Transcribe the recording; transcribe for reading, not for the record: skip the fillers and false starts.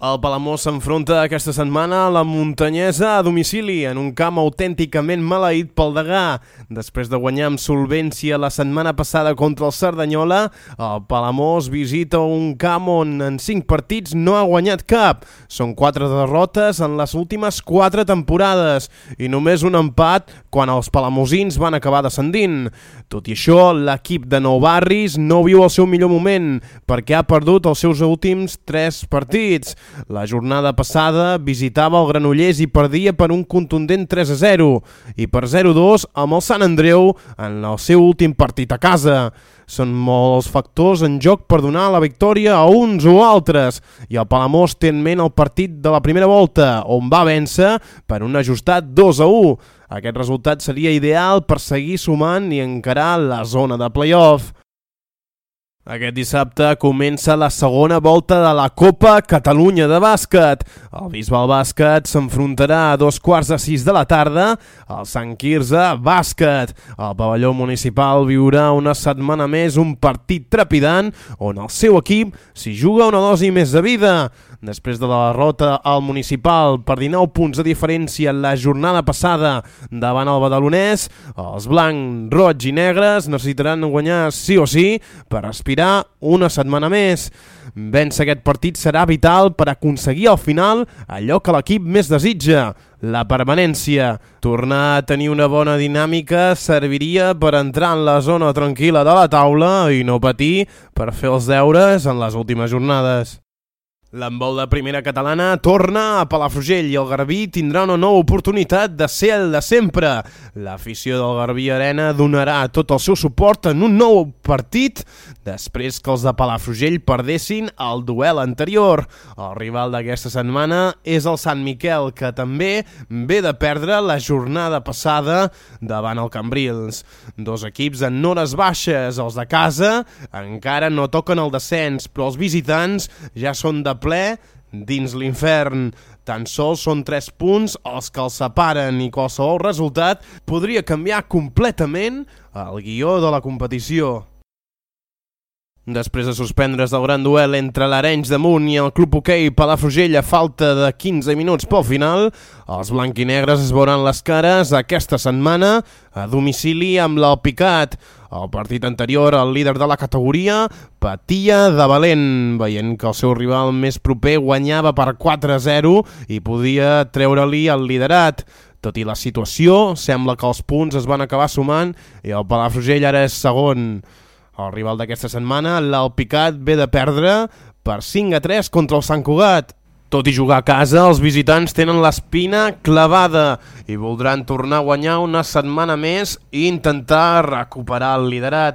El Palamós s'enfronta aquesta setmana a la Muntanyesa a domicili en un camp autènticament maleït pel Degà. Després de guanyar amb solvència la setmana passada contra el Cerdanyola, el Palamós visita un camp on en 5 partits no ha guanyat cap. Són 4 derrotes en les últimes 4 temporades i només un empat quan els palamosins van acabar descendint. Tot i això, l'equip de Nou Barris no viu el seu millor moment perquè ha perdut els seus últims 3 partits. La jornada passada visitava el Granollers i perdia per un contundent 3-0 i per 0-2 amb el Sant Andreu en el seu últim partit a casa. Són molts factors en joc per donar la victòria a uns o altres i el Palamós té en ment el partit de la primera volta on va vèncer per un ajustat 2-1. Aquest resultat seria ideal per seguir sumant i encarar la zona de play-off. Aquest dissabte comença la segona volta de la Copa Catalunya de bàsquet. El Bisbal Bàsquet s'enfrontarà a 5:15 de la tarda al Sant Quirze Bàsquet. El pavelló municipal viurà una setmana més un partit trepidant on el seu equip s'hi juga una dosi més de vida. Després de la derrota al municipal per 19 punts de diferència la jornada passada davant el badalonès, els blancs, roig i negres necessitaran guanyar sí o sí per aspirar una setmana més. Vèncer aquest partit serà vital per aconseguir al final allò que l'equip més desitja, la permanència. Tornar a tenir una bona dinàmica serviria per entrar en la zona tranquil·la de la taula i no patir per fer els deures en les últimes jornades. L'handbol de primera catalana torna a Palafrugell i el Garbí tindrà una nova oportunitat de ser el de sempre. L'afició del Garbí Arena donarà tot el seu suport en un nou partit després que els de Palafrugell perdessin el duel anterior. El rival d'aquesta setmana és el Sant Miquel, que també ve de perdre la jornada passada davant el Cambrils. Dos equips en hores baixes, els de casa encara no toquen el descens, però els visitants ja són de ple dins l'infern. Tan sols són 3 punts els que els separen i qualsevol resultat podria canviar completament el guió de la competició. Després de suspendre's el gran duel entre l'Arenys de Munt i el Club Hoquei Palafrugell a falta de 15 minuts pel final, els blanquinegres es veuran les cares aquesta setmana a domicili amb l'Alpicat. El partit anterior, el líder de la categoria patia de valent, veient que el seu rival més proper guanyava per 4-0 i podia treure-li el liderat. Tot i la situació, sembla que els punts es van acabar sumant i el Palafrugell ara és segon. El rival d'aquesta setmana, l'Alpicat, ve de perdre per 5-3 contra el Sant Cugat. Tot i jugar a casa, els visitants tenen l'espina clavada i voldran tornar a guanyar una setmana més i intentar recuperar el liderat.